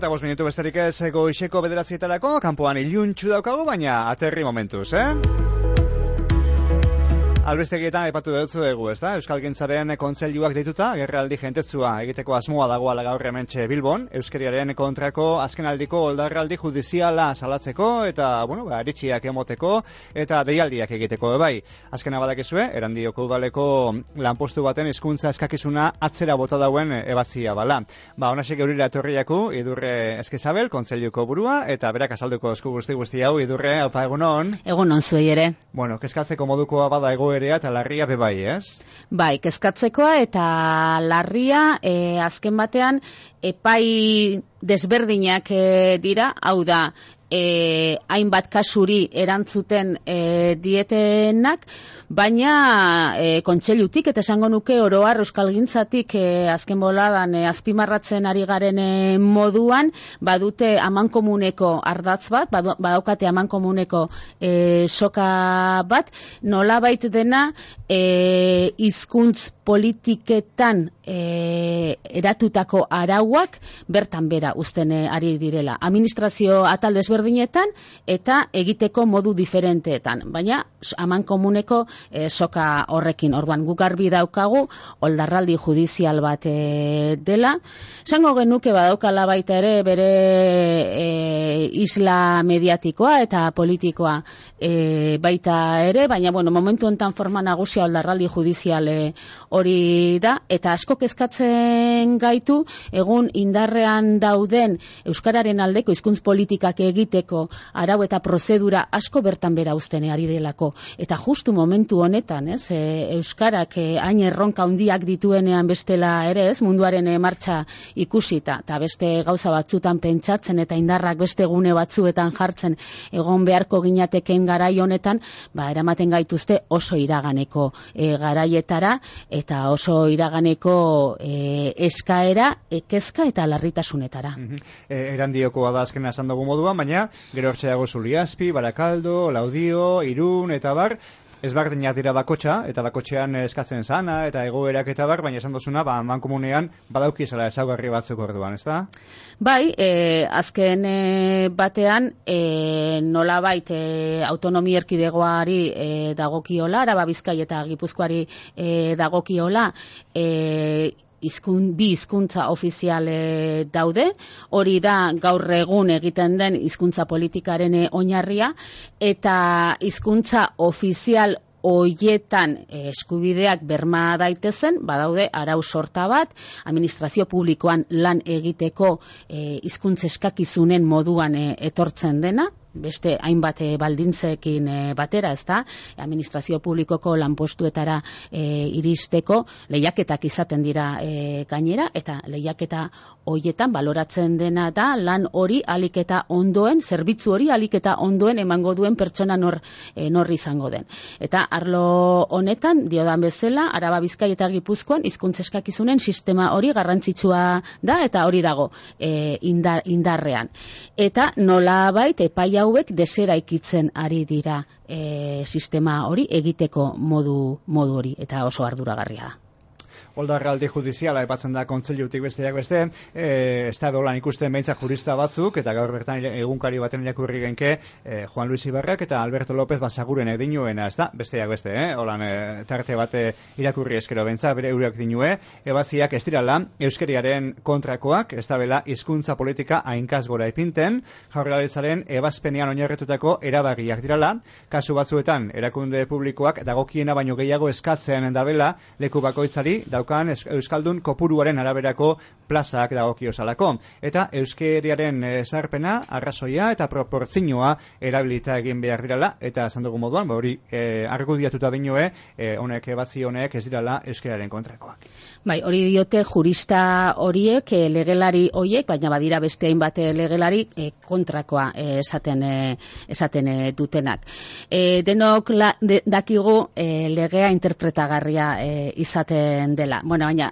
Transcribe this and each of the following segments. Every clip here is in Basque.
5 minutu besterik ez goizeko 9:00 kanpoan iluntxu daukagu, baina aterri momentuz, Albistegietan aipatu dutzu dugu, ezta? Euskalgintzaren kontseiluak deituta, agerraldi jentetzua egiteko asmoa dagoela gaur hementxe Bilbon, euskeriaren kontrako azkenaldiko oldarraldi judiziala salatzeko eta, eritziak emoteko eta deialdiak egiteko bai. Azkena badakizue, Erandioko udaleko lanpostu baten hizkuntza eskakizuna atzera bota dauen ebatzia bala. Honasek eurira etorriaku, Idurre Eskizabel, kontseiluko burua, eta berak azalduko esku guzti hau, Idurre, aupa egunon. Egunon zuei ere. Kezkatzeko modukoa bada egoerea eta larria bebai, ez? Bai, kezkatzekoa eta larria azken batean epai desberdinak dira, hau da, hainbat kasuri erantzuten dietenak, baina kontseilutik eta esango nuke oroar euskalgintzatik azken boladan azpimarratzen ari garen moduan badute amankomuneko ardatz bat, badaukate amankomuneko soka bat, nolabait dena hizkuntz politiketan eratutako arauak bertan bera uzten ari direla. Administrazio atal desberdinetan eta egiteko modu diferenteetan, baina amankomuneko soka horrekin. Orduan guk garbi daukagu oldarraldi judizial bat dela. Esango genuke badaukala baita ere bere isla mediatikoa eta politikoa baita ere, baina momentu honetan forma nagusia oldarraldi judizial hori da, eta asko kezkatzen gaitu egun indarrean dauden euskararen aldeko hizkuntz politikak egiteko arau eta prozedura asko bertan bera uzten ari delako. Eta justu momentu honetan, euskarak hain erronka handiak dituenean bestela ere, munduaren martxa ikusita, eta beste gauza batzutan pentsatzen eta indarrak beste gune batzuetan jartzen egon beharko ginateken garai honetan, eramaten gaituzte oso iraganeko garaietara eta oso iraganeko eskaera, kezka eta larritasunetara. Erandiokoa da azkena esan dugu moduan, baina gero hortxeago Zuliazpi, Barakaldo, Laudio, Irun eta bar, ezberdinak dira bakotxa, eta bakotxean eskatzen zana, eta egoerak eta bar, baina esan dozuna, mankomunean badaukizela ezaugarri batzuk orduan, ez da? Bai, azken batean, nolabait autonomia erkidegoari dagokiola, Araba, Bizkai eta Gipuzkoari dagokiola, bi hizkuntza ofizial daude, hori da gaur egun egiten den hizkuntza politikaren oinarria, eta hizkuntza ofizial hoietan eskubideak berma daitezen, badaude arau sorta bat, administrazio publikoan lan egiteko hizkuntza eskakizunen moduan etortzen dena, beste hainbat baldintzekin batera, ez da, administrazio publikoko lanpostuetara iristeko lehiaketak izaten dira gainera, eta lehiaketa hoietan baloratzen dena da lan hori alik eta ondoen, zerbitzu hori alik eta ondoen emango duen pertsona nor izango den. Eta arlo honetan, diodan bezala, Araba, Bizkai eta Gipuzkoan hizkuntza eskakizunen sistema hori garrantzitsua da, eta hori dago indarrean. Eta nolabait epai hauek deseraikitzen ari dira sistema hori egiteko modu hori, eta oso arduragarria da. Oldarraldi judiziala epatzen da kontseilutik besteak beste, ez da dolan ikusten behintzak jurista batzuk, eta gaur bertan egunkari baten irakurri genke Juan Luis Ibarrak eta Alberto López Basaguren dinuena, ez da, besteak beste, holan tarte bate irakurri eskero behintzak, bere eurak dinue, ebatziak ez dirala euskeriaren kontrakoak, ez da bela hizkuntza politika hainkaz gora ipinten, Jaurlaritzaren ebazpenean oinarritutako erabagiak dirala, kasu batzuetan erakunde publikoak dagokiena baino gehiago eskatzen dabela leku bakoitzari daukan euskaldun kopuruaren araberako plazak dagokiozalako. Eta euskeriaren sarpena, arrazoia eta proportzioa erabilita egin behar dirala, eta esan dugu moduan, hori argudiatuta dinoe, honek ebatzi honek ez dirala euskeriaren kontrakoak. Bai, hori diote jurista horiek, legelari horiek, baina badira beste hainbat legelari kontrakoa esaten dutenak. Denok dakigu legea interpretagarria izaten dela. Bueno, baina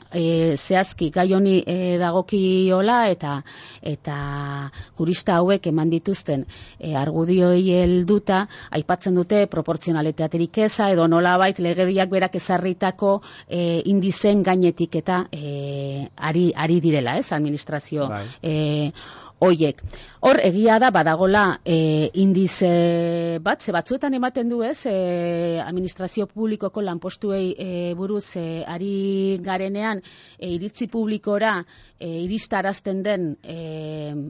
zehazki gai honi dagokiola eta jurista hauek eman dituzten argudioi helduta aipatzen dute proportzionalitaterik eza edo nolabait legediak berak ezarritako indizen gainetik eta ari direla, administrazio hoiek. Hor egia da badagola indize bat, ze batzuetan ematen du administrazio publikoko lanpostuei buruz ari garenean iritzi publikora iristarazten den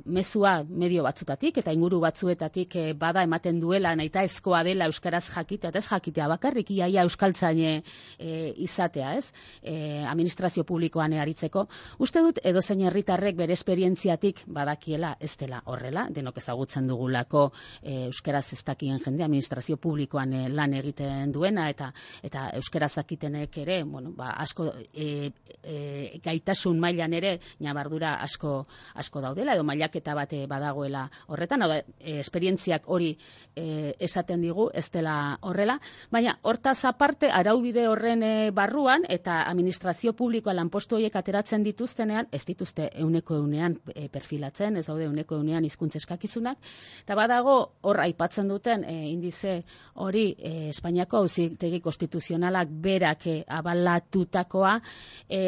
mezua medio batzutatik eta inguru batzuetatik bada ematen duela nahita ezkoa dela euskaraz jakitea, eta ez jakitea bakarrik iaia euskaltzaine izatea, administrazio publikoan aritzeko. Uste dut edozein herritarrek bere esperientziatik badakiela ez dela horrela, denok ezagutzen dugulako euskaraz ez dakien jende administrazio publikoan lan egiten duena eta euskaraz dakitenek ere, asko gaitasun mailan ere nabardura asko daudela edo mailaketa bat badagoela horretan, esperientziak hori esaten digu ez dela horrela, baina hortaz aparte araubide horren barruan eta administrazio publikoa lanpostu horiek ateratzen dituztenean, ez dituzte 100% perfilatzen, ez daude 100% hizkuntza eskakizunak, eta badago hor aipatzen duten indize hori Espainiako Auzitegi Konstituzionalak berak abalatutakoa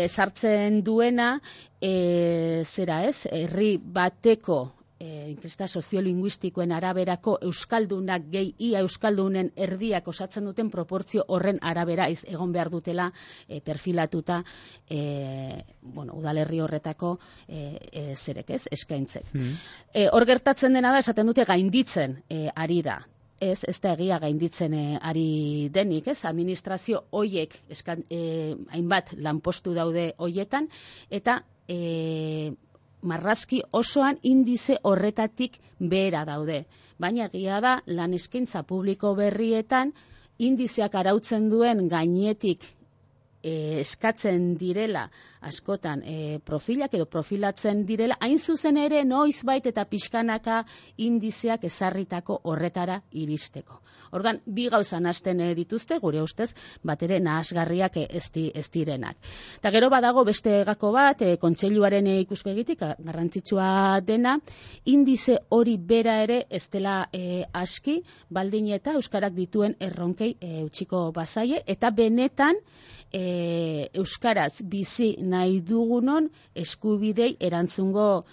sartzen duena herri bateko inkesta soziolinguistikoen araberako euskaldunak gehi ia euskaldunen erdiak osatzen duten proportzio horren arabera egon behar dutela perfilatuta udalerri horretako eskaintzek. Hor gertatzen dena da, esaten dute gainditzen ari da. Ez da egia gainditzen ari denik, administrazio hoiek hainbat lanpostu daude hoietan, eta marrazki osoan indize horretatik behera daude. Baina egia da, lan eskaintza publiko berrietan, indizeak arautzen duen gainetik eskatzen direla askotan profilak edo profilatzen direla, hain zuzen ere noizbait eta pixkanaka indizeak ezarritako horretara iristeko. Orduan, bi gauza nahasten dituzte, gure ustez, bat ere nahasgarriak ez direnak. Eta gero badago beste gako bat, kontseiluaren ikuspegitik, garrantzitsua dena, indize hori bera ere ez dela aski, baldin eta euskarak dituen erronkei utziko bazaie, eta benetan euskaraz bizi nahi dugunon eskubidei erantzungo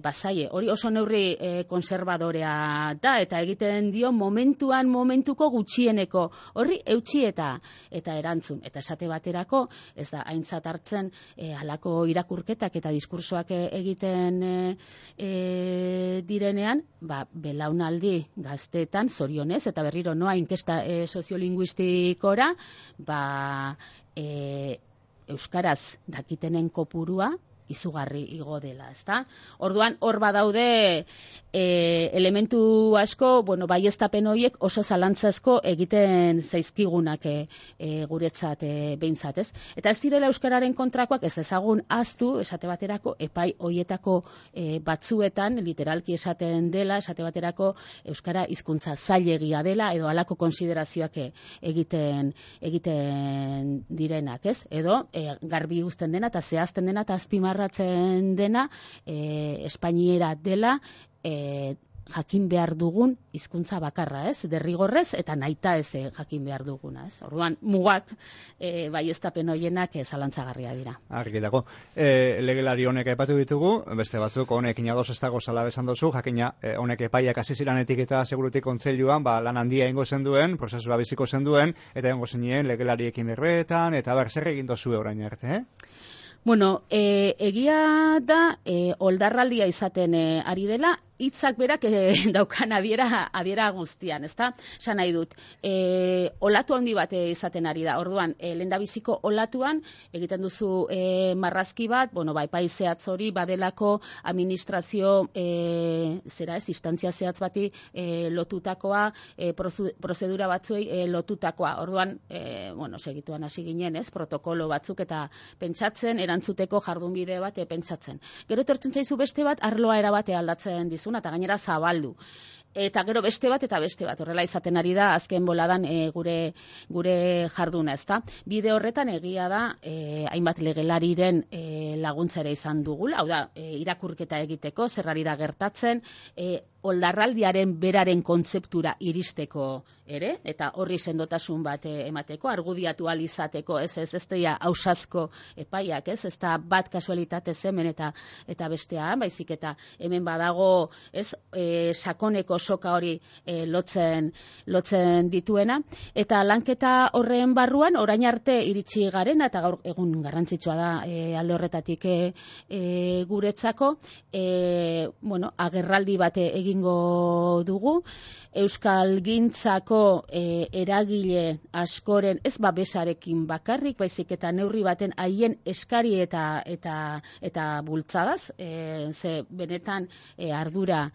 bazaie. Hori oso neurri konservadorea da, eta egiten dio momentuko gutxieneko horri eutsi eta erantzun. Eta esate baterako, ez da aintzat hartzen halako irakurketak eta diskursoak egiten direnean, belaunaldi gazteetan zorionez, eta berriro noa inkesta soziolinguistikora, euskaraz dakitenen kopurua izugarri igo dela, ezta? Orduan, hor badaude elementu asko, baieztapen horiek oso zalantzazko egiten zaizkigunak guretzat behintzat, ez? Eta ez direla euskararen kontrakoak ez ezagun ahaztu, esate baterako, epai horietako batzuetan, literalki esaten dela, esate baterako euskara hizkuntza zailegia dela, edo halako konsiderazioak egiten direnak, ez? Edo, garbi uzten dena, eta zehazten dena, eta azpimarratzen dena, espainiera dela, jakin behar dugun hizkuntza bakarra, ez? Derrigorrez eta nahita ez jakin behar duguna, ez? Orduan, mugak baieztapen hoienak zalantzagarria dira. Argi dago. Legelari honek aipatu ditugu, beste batzuk honekin ados ez dago zala besan dozu, jakina honek epaiak hasi ziranetik eta segurutik kontseiluan lan handia ingo zen duen, prozesua biziko zen duen, eta ingo zenien legelariekin berbetan, eta zer egin dozue orain arte, egia da, oldarraldia izaten ari dela, hitzak berak daukan adiera guztian, ezta? Esan nahi dut, olatu handi bat izaten ari da. Orduan, lehendabiziko olatuan egiten duzu marrazki bat, epai zehatz hori badelako administrazio instantzia zehatz bati lotutakoa, prozedura batzuei lotutakoa. Orduan, segituan hasi ginen, ez? Protokolo batzuk eta pentsatzen, erantzuteko jardunbide bat pentsatzen. Gero etortzen zaizu beste bat, arloa erabate aldatzen dizuna, eta gainera zabaldu. eta gero beste bat eta beste bat. Horrela izaten ari da azken boladan gure jarduna, ezta? Bide horretan egia da hainbat legelariren laguntza ere izan dugula, hau da, irakurketa egiteko, zer ari da gertatzen, oldarraldiaren beraren kontzeptura iristeko ere, eta horri sendotasun bat emateko, argudiatu ahal izateko, ez deia ausazko epaiak, ez da bat kasualitatez hemen eta bestea, baizik eta hemen badago, sakoneko soka hori lotzen dituena, eta lanketa horren barruan, orain arte iritsi garena, eta gaur egun garrantzitsua da alde horretatik guretzako, agerraldi bat egingo dugu, Euskalgintzako eragile askoren ez babesarekin bakarrik, baizik eta neurri baten haien eskari eta bultzadaz, ze benetan ardura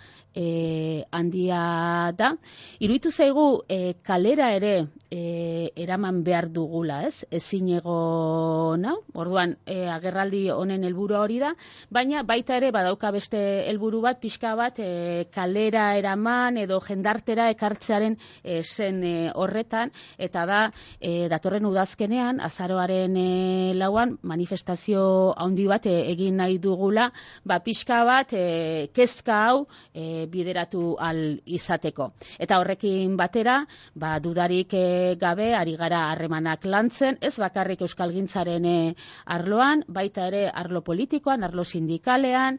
handia da. Iruditu zaigu kalera ere eraman behar dugula, ezinego nau, orduan agerraldi honen helburua hori da, baina baita ere badauka beste helburu bat, pixka bat kalera eraman edo jendartera ekartzearen zen horretan, eta da datorren udazkenean, azaroaren 4 manifestazio handi bat egin nahi dugula, pixka bat kezka hau bideratu al izateko. Eta horrekin batera, dudarik gabe ari gara harremanak lantzen, ez bakarrik euskalgintzaren arloan, baita ere arlo politikoan, arlo sindikalean,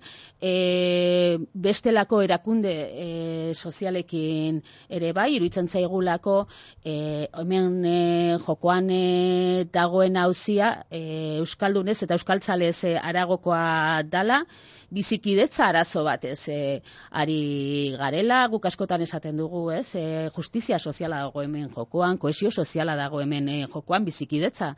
bestelako erakunde sozialekin ere bai, iruditzen zaigulako hemen jokoan dagoen auzia euskaldunez eta euskaltzalez aragokoa dala, bizikidetza arazo batez ari garela, guk askotan esaten dugu, justizia soziala dago hemen jokoan, kohesio soziala dago hemen jokoan, bizikidetza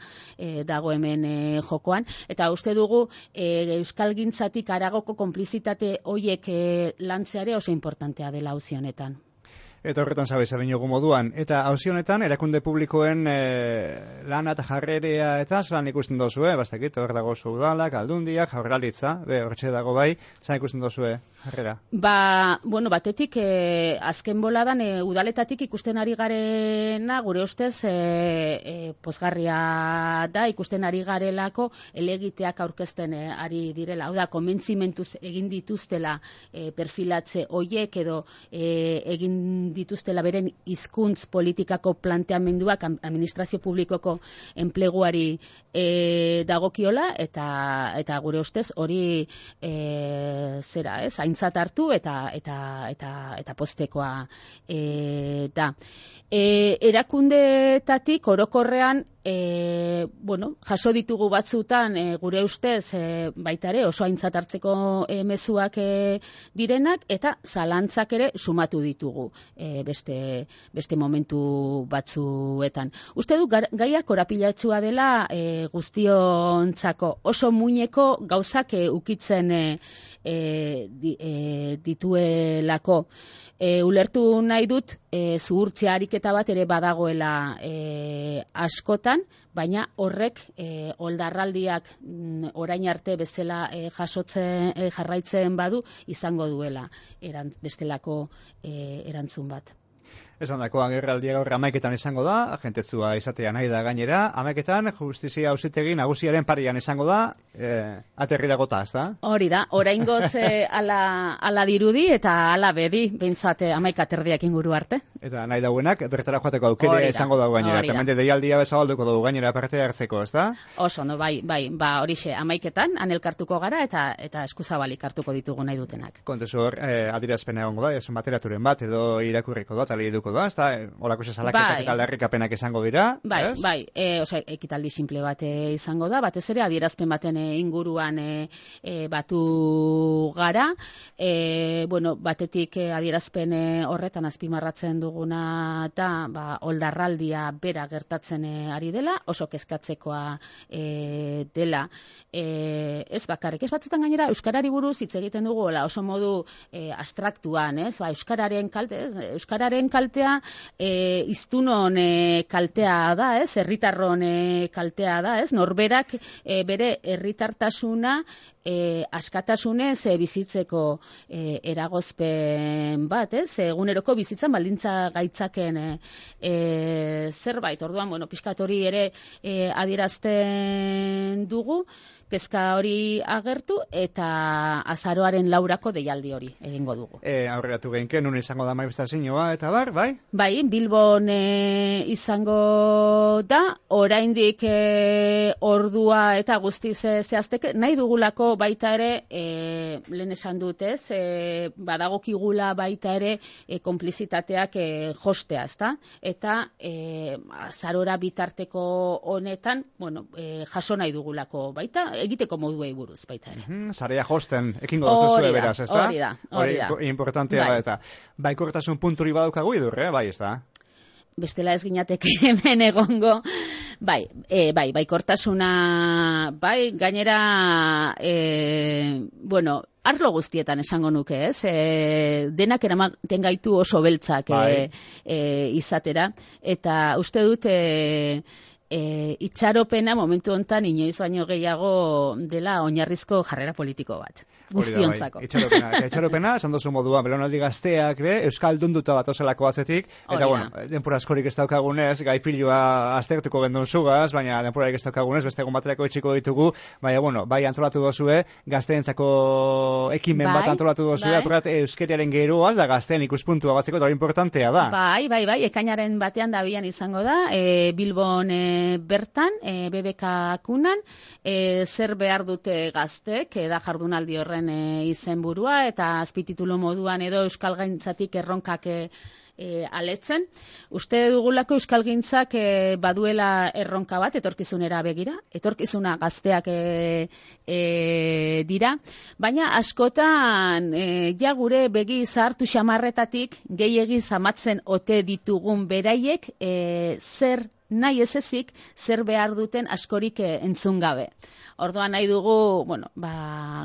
dago hemen jokoan, eta uste dugu euskalgintzatik aragoko konplizitate hoiek lantzeare oso importantea dela auzi honetan. Eta horretan zabez adinogu moduan. Eta auzi honetan, erakunde publikoen lana eta jarrerea eta zelan ikusten dozue, bastakit, hor dago udalak, aldundiak, jaurlaritza, hortxe dago bai, zelan ikusten dozue jarrera? Batetik, azken boladan, udaletatik ikusten ari garena, gure ustez, pozgarria da, ikusten ari garelako, elegiteak aurkezten ari direla. Hau da, konbentzimentuz egin dituztela perfilatze hoiek edo egin dituztela beren hizkuntz politikako planteamenduak administrazio publikoko enpleguari dagokiola, eta gure ustez hori aintzat hartu eta poztekoa da. Erakundeetatik orokorrean jaso ditugu batzutan gure ustez baita ere oso aintzat hartzeko mezuak direnak, eta zalantzak ere sumatu ditugu beste momentu batzuetan. Uste du gaia korapilatsua dela guztiontzako, oso muineko gauzak ukitzen dituelako. Ulertu nahi dut zuhurtzia ariketa bat ere badagoela askotan, baina horrek oldarraldiak orain arte bezala jarraitzen badu izango duela bestelako erantzun bat. Esan dako, agerraldia gaur 11etan izango da, agentetzua izatea nahi da gainera, 11etan justizia auzitegi nagusiaren parian izango da, aterri dagota, ez da? Hori da, oraingoz ala dirudi eta ala bedi, behintzat 11 aterdiak inguru arte. Eta nahi dauenak, bertara joateko aukere izango dago gainera, eta mende deialdia bezabalduko dugu gainera parte hartzeko, ez da? Oso, bai, horixe, 11etan, anelkartuko gara eta eskuzabalik hartuko ditugu nahi dutenak. Kontezu hor, adierazpena egongo da, esan bateraturen bat, edo irakurriko da, tali eduko da, ez da? Olako salaketak eta aldarrikapenak izango dira? Ekitaldi simple bat izango da, batez ere adierazpen baten inguruan batu gara, batetik adierazpen horretan azpimarratzen duguna da, oldarraldia bera gertatzen ari dela, oso kezkatzekoa dela, ez bakarrik, ez batzutan gainera euskarari buruz hitz egiten dugu oso modu abstraktuan, euskararen kaltea hiztunon kaltea da, herritarron kaltea da, norberak bere herritartasuna askatasunez bizitzeko eragozpen bat, eguneroko bizitzan baldintza gaitzaken zerbait. Orduan, bueno, pixkat hori ere adierazten dugu, kezka hori agertu eta azaroaren 4 deialdi hori egingo dugu. Aurreratu geinke, nun izango da manifestazioa eta bar, bai? Bai, Bilbon izango da, oraindik ordua eta guztiz zehazteke, nahi dugulako baita ere, lehen esan dut ez, badagokigula baita ere konplizitateak jostea, ezta? Eta azarora bitarteko honetan, bueno, jaso nahi dugulako baita, egiteko moduei buruz baita ere. Sarea josten, ekingo dut beraz, ez da? Hori da. Importantea da eta. Baikortasun punturi badaukagu idur, bai, ez da? Bestela ez ginateke hemen egongo. Baikortasuna, gainera, bueno, arlo guztietan esango nuke, ez? Denak eramaten gaitu oso beltzak izatera, eta uste dut itxaropena momentu hontan inoiz baino gehiago dela oinarrizko jarrera politiko bat. Guztiontzako. Itxaropena, esan dozu modua, belaunaldi gazteak, euskaldunduta bat ozelako batzetik, eta bueno, denpura askorik ez daukagunez, gai pilua aztertuko gendun zugaz, baina denpurarik ez daukagunez, beste egun baterako itxiko ditugu, baina, bueno, bai antolatu dozue, gazteentzako ekimen bat antolatu dozue, apurat euskeriaren geroaz, da gazteen ikuspuntua batzeko, eta hori importantea da. Bai, ekainaren batean da bian izango da, Bilbon bertan, BBK kunan, zer behar dute gaztek, da jardunaldi horren izenburua, eta azpititulu moduan edo euskalgaintzatik erronkak aletzen. Uste dugulako euskalgintzak baduela erronka bat etorkizunera begira, etorkizuna gazteak dira, baina askotan ja gure begi zahartu xamarretatik gehiegi zamatzen ote ditugun beraiek zer nahi ez ezik, zer behar duten askorik entzun gabe. Orduan nahi dugu, bueno,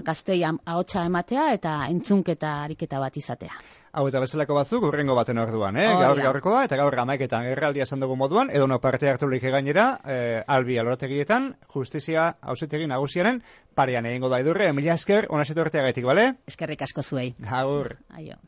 gaztei ahotsa ematea eta entzunketa ariketa bat izatea. Hau eta bezalako batzuk, urrengo baten orduan, gaurkoa, eta gaur 11etan erraldia esan dugu moduan, edo no parte hartulik gainera, Albi alorategietan, justizia auzitegi nagusiaren parean egingo da idurre, mila esker, ona etorteagatik, bale? Eskerrik asko zuei. Agur. Aio.